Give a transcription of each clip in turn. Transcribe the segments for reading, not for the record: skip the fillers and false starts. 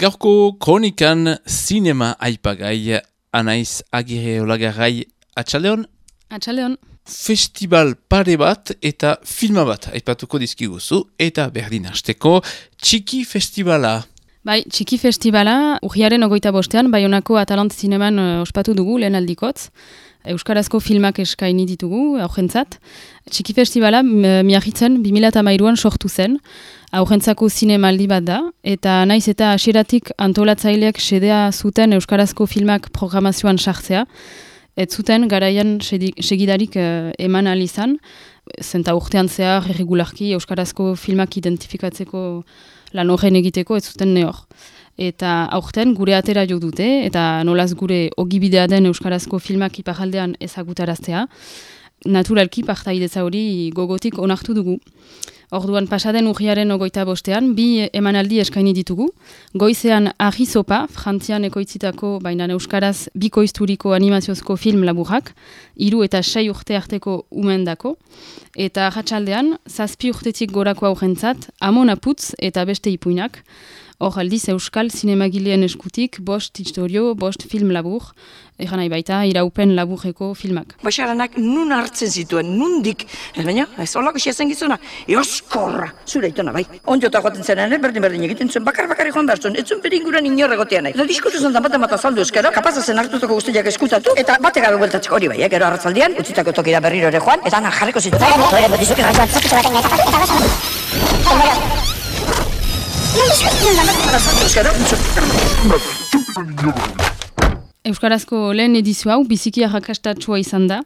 Gaurko kronikan zinema aipagai Anaiz Agirre Olagarrai atxaldeon? Atxaldeon. Festival pare bat eta filma bat aipatuko dizkiguzu eta berdin hasteko Txiki Festivala. Bai, Txiki Festivala urriaren 25ean Baionako Atalant Zineman ospatu dugu lehen aldikotz. Euskarazko filmak eskaini ditugu aurrentzat. Txiki Festivala miarritzen 2013an sortu zen. Aurrentzako zinemaldi bat da, eta naiz eta hasieratik antolatzaileak xedea zuten euskarazko filmak programazioan sartzea, ez zuten garaian segidarik eman ahal izan, zenta urtean zehar irregularki euskarazko filmak identifikatzeko lan horren egiteko ez zuten nehor. Eta aurten gure atera jo dute, eta nolaz gure ogibidea den euskarazko filmak iparraldean ezagutaraztea, naturalki partaidetza hori gogotik onartu dugu. Orduan pasaden urriaren 25ean, 2 emanaldi eskaini ditugu. Goizean Argi Zopa, Frantzian ekoitzitako, baina euskaraz bikoizturiko animaziozko film laburrak, 3 eta 6 urte arteko umendako. Eta arratsaldean 7 urtetik gorako aurrentzat, Amona Putz eta beste ipuinak. Hor aldiz euskal zinemagileen eskutik 5 historio, 5 film labur, egan nahi baita iraupen laburreko filmak. Baxaranak nun hartzen zituen, nundik, baina ez olako xeazen gizuna, eoskorra, zure itona bai. Ondiota joaten zenen, berdin egiten zuen, bakar joan behar zuen, ez zuen beringuran inorregotea nahi. Eta diskutu zen bat azaldu euskara, kapazazen hartutako guztiak eskutatu, eta batek gabe bueltatzeko hori bai, gero arratzaldian, utzitako tokira berriro ere joan, eta anak jarriko zitu. Euskarazko lehen edizio hau biziki arrakastatsua izan da.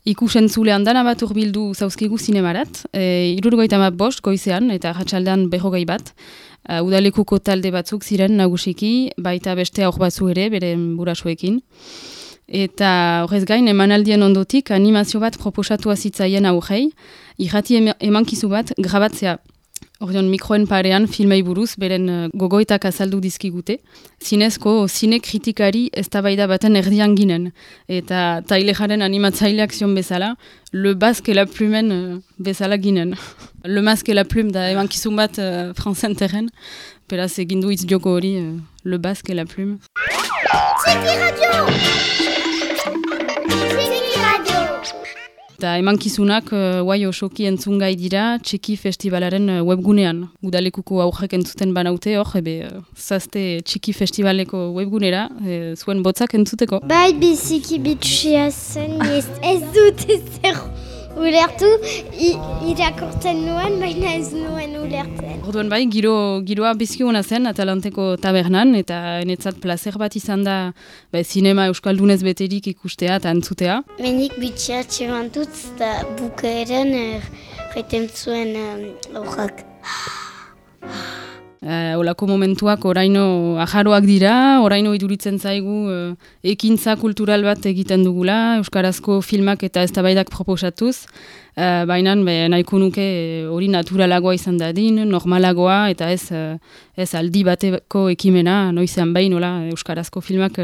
Ikusentzulean dana bat urbildu zauzkigu zinemarat, 75 goizean eta arratsaldean 40 bat. Udalekuko talde batzuk ziren nagusiki, baita beste aur batzu ere, beren burasuekin. Eta horrez gain, emanaldien ondotik animazio bat proposatu zitzaien aurrei, irrati emankizu bat grabatzea. Ordeon mikroen parean filmei buruz beren gogoetak azaldu dizkigute. Zinezko zine kritikari eztabaida baten erdian ginen. Eta tailejaren animatzaileak zion bezala, Le Basque et la Plumen bezala ginen. Le Masque et la Plume da emankizun bat franzen terren. Beraz egin du hitz joko hori, Le Basque et la Plume. Txiki Radio! Eta emankizunak guai osoki entzungai dira Txiki Festivalaren webgunean. Udalekuko aurrek entzuten banaute hor, zazte Txiki Festivaleko webgunera, zuen botzak entzuteko. Bai biziki bitxia zen, ez dut ezer ulertu, irakortzen nuen, baina ez nuen ulertzen. Orduan bai, giroa bizki hona zen Atalanteko tabernan, eta enetzat plazer bat izan da zinema euskaldunez beterik ikustea eta entzutea. Menik bitxia txemantut, eta bukaeran jaiten zuen aurrak. Olako momentuak oraino ajaroak dira, oraino iduritzen zaigu ekintza kultural bat egiten dugula, euskarazko filmak eta eztabaidak proposatuz, baina nahiko nuke hori naturalagoa izan dadin, normalagoa eta ez aldi bateko ekimena, noizean behin euskarazko filmak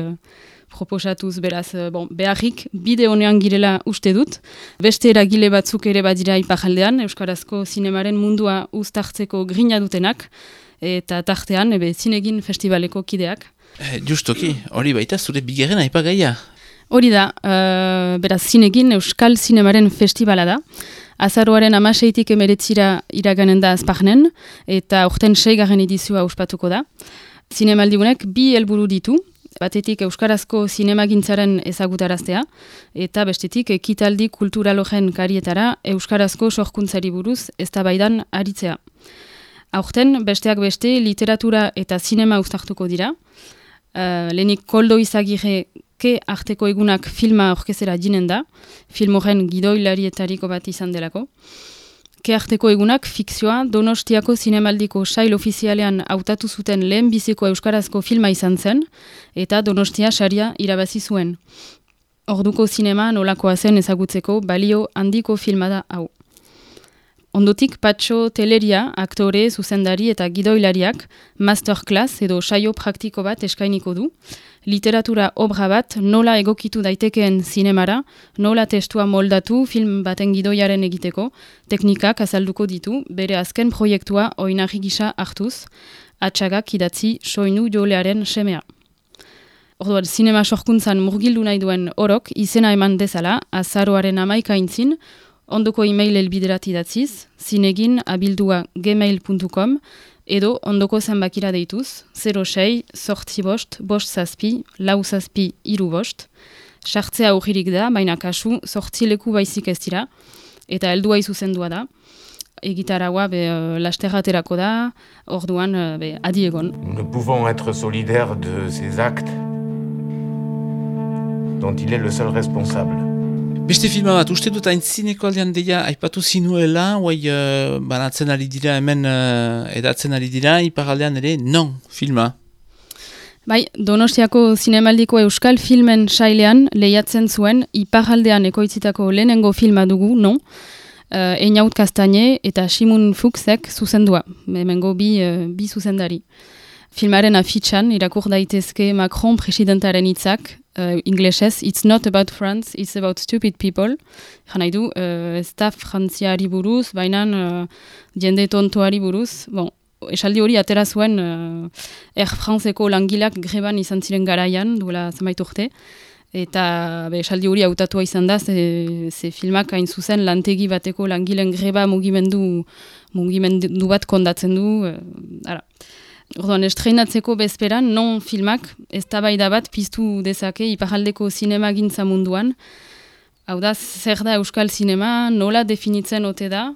proposatuz, beraz, beharrik bide honean girela uste dut. Beste eragile batzuk ere badira iparraldean, euskarazko zinemaren mundua uztartzeko grina dutenak, eta tartean, zinegin festivaleko kideak. Justoki, hori baita zure bigarren aipagaia. Hori da, beraz zinegin Euskal Zinemaren festivala da. Azaroaren 16tik 19 iraganen da azparnen, eta urten 6. edizioa ospatuko da. Zinemaldigunek 2 helburu ditu, batetik euskarazko zinemagintzaren ezagutaraztea, eta bestetik ekitaldi kulturalogen karietara euskarazko sorkuntzari buruz eztabaidan aritzea. Aurten, besteak beste, literatura eta zinema uztartuko dira. Lehenik Koldo Izagirreke arteko egunak filma aurkezera jinen da, film horren gidoilarietariko bat izan delako. Ke arteko egunak fikzioa Donostiako zinemaldiko sail ofizialean hautatu zuten lehen biziko euskarazko filma izan zen, eta Donostia saria irabazi zuen. Orduko zinema nolakoa zen ezagutzeko balio handiko filma da hau. Ondotik Patxo Teleria, aktore, zuzendari eta gidoilariak masterclass edo saio praktiko bat eskainiko du. Literatura obra bat nola egokitu daitekeen zinemara, nola testua moldatu film baten gidoiaren egiteko, teknikak azalduko ditu, bere azken proiektua oinarri gisa hartuz. Atxagak idatzi soinu jolearen semea. Orduan, zinema sorkuntzan murgildu nahi duen orok izena eman dezala, azaroaren 11 ondoko e-mail elbiderat idatziz, zinegin@gmail.com edo ondoko zenbakira deituz, 06 sortzi bost, bost zazpi, lau zazpi, iru bost. Sartzea aurririk da, baina kasu sortzi leku baizik ez dira, eta heldua izuzendua da. Egitaraua lasterraterako da, orduan adi egon. Nous ne pouvons être solidaires de ces actes dont il est le seul responsable. Beste filma bat, uste dut aintzineko aldean deia aipatu zinuela, banatzen ari dira hemen edatzen ari dira, iparaldean ere non filma. Bai, Donostiako zinemaldiko euskal filmen sailean lehiatzen zuen iparaldean ekoitzitako lehenengo filma dugu, non? Einaut Kastaine eta Simun Fuchsek zuzendua, hemengo bi zuzendari. Filmaren afitxan irakur daitezke Macron presidentaren hitzak, inglesez, it's not about France, it's about stupid people. Jan nahi du, ez da frantziari buruz, baina jende tontoari buruz. Bon, esaldi hori atera zuen Air Franceko langilak greban izan ziren garaian, duela zenbait urte. Eta esaldi hori hautatua izan da, ze filmak hain zuzen lantegi bateko langilen greba mugimendu bat kondatzen du. Orduan, estreinatzeko bezperan, non filmak eztabaida bat piztu dezake iparaldeko zinema gintza munduan. Hau da, zer da euskal zinema, nola definitzen ote da.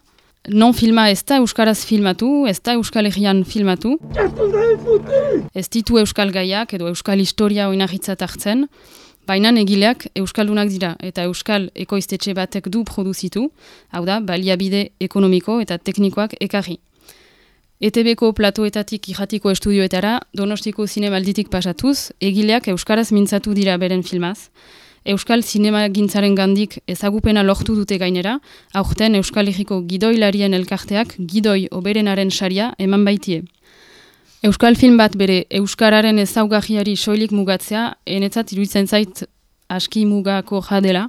Non filma ez da euskaraz filmatu, ez da euskal herrian filmatu. Ez ditu euskal gaiak edo euskal historia oinarritzat hartzen. Baina egileak euskaldunak dira eta euskal ekoiztetxe batek du produzitu, hau da, baliabide ekonomiko eta teknikoak ekarri. ETB-ko platoetatik irratiko estudioetara, Donostiko zinemalditik pasatuz, egileak euskaraz mintzatu dira beren filmaz. Euskal zinema gintzaren gandik ezagupena lortu dute gainera, aurten Euskal Herriko gidoilarien elkarteak gidoi oberenaren saria eman baitie. Euskal film bat bere euskararen ezaugarriari soilik mugatzea, enetzat iruditzen zait aski mugako jadela,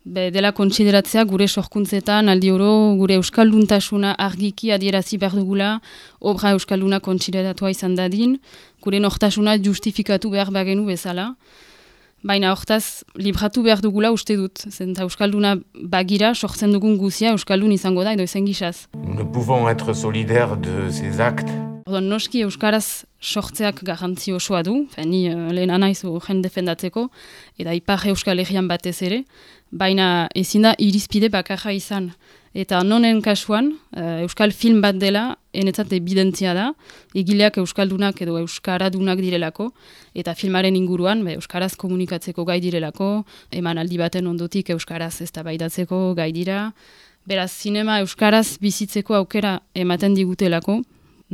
dela kontsideratzea gure sorkuntzetan aldi oro gure euskalduntasuna argiki adierazi behar dugula, obra euskalduna kontsideratua izan dadin, gure nortasuna justifikatu behar bagenu bezala. Baina hortaz, libratu behar dugula uste dut, zenta euskalduna bagira sortzen dugun guzia euskaldun izango da edo ezen gisaz. Nous ne pouvons être solidaires de ces actes. Orduan, noski euskaraz sortzeak garrantzi osoa du, ni lehen anaiz jen defendatzeko, eta ipar euskal herrian batez ere, baina ezin da irizpide bakarra izan. Eta nonen kasuan, euskal film bat dela, enetzat evidentzia da, egileak euskaldunak edo euskaradunak direlako, eta filmaren inguruan euskaraz komunikatzeko gai direlako, eman aldi baten ondotik euskaraz eztabaidatzeko gai dira. Beraz, zinema euskaraz bizitzeko aukera ematen digutelako,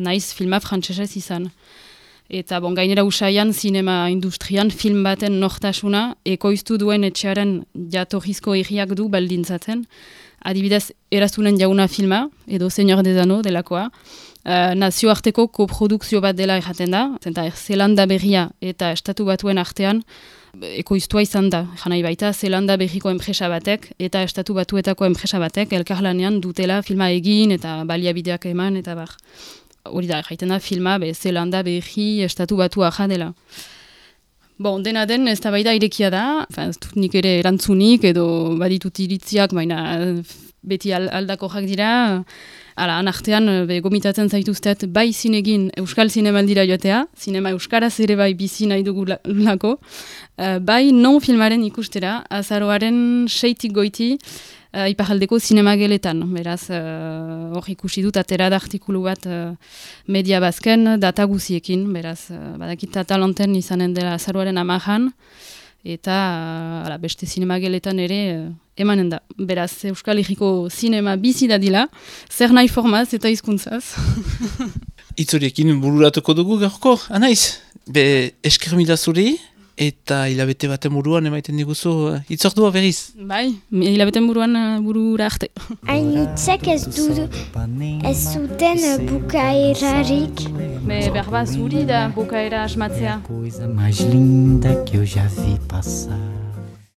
naiz filma frantsesez izan. Eta gainera usaian zinema industrian film baten nortasuna ekoiztu duen etxearen jatorrizko herriak du baldintzatzen. Adibidez, Eraztunen Jauna filma, edo Señor des Anneaux delakoa, nazioarteko koprodukzio bat dela erraten da, zenta Zelanda berria eta Estatu Batuen artean ekoiztua izan da. Janai baita, Zelanda berriko enpresa batek eta Estatu Batuetako enpresa batek elkarlanean dutela filma egin eta baliabideak eman eta bar. Hori da, erraiten da filma Zelanda berri Estatu Batua dela. Dena den, ez da baida irekia da, ez dut nik ere erantzunik edo baditut iritziak, baina beti aldakoak dira. Han artean, gomitatzen zaituztet, bai zinegin euskal zinemaldira joatea, zinema euskaraz ere bai bizi nahi dugulako, bai non filmaren ikustera, azaroaren 6tik goiti, iparaldeko zinemageletan. Beraz, hor ikusi dut, atera da artikulu bat media bazken, data guziekin, beraz, badakit talanten izanen dela azaroaren 10an, eta beste zinemageletan ere emanen da. Beraz, Euskal Herriko zinema bizi dadila, zer nahi formaz eta hizkuntzaz. Itzoriekin bururatuko dugu gaurko, anaiz? Esker mila zuri? Eta hilabete baten buruan emaiten diguzu itzordua berriz? Bai, hilabeten buruan burura arte. Hainitzek ez zuten bukaerarik. Berba zuri da bukaera asmatzea. Coisa mais linda que eu já vi passar.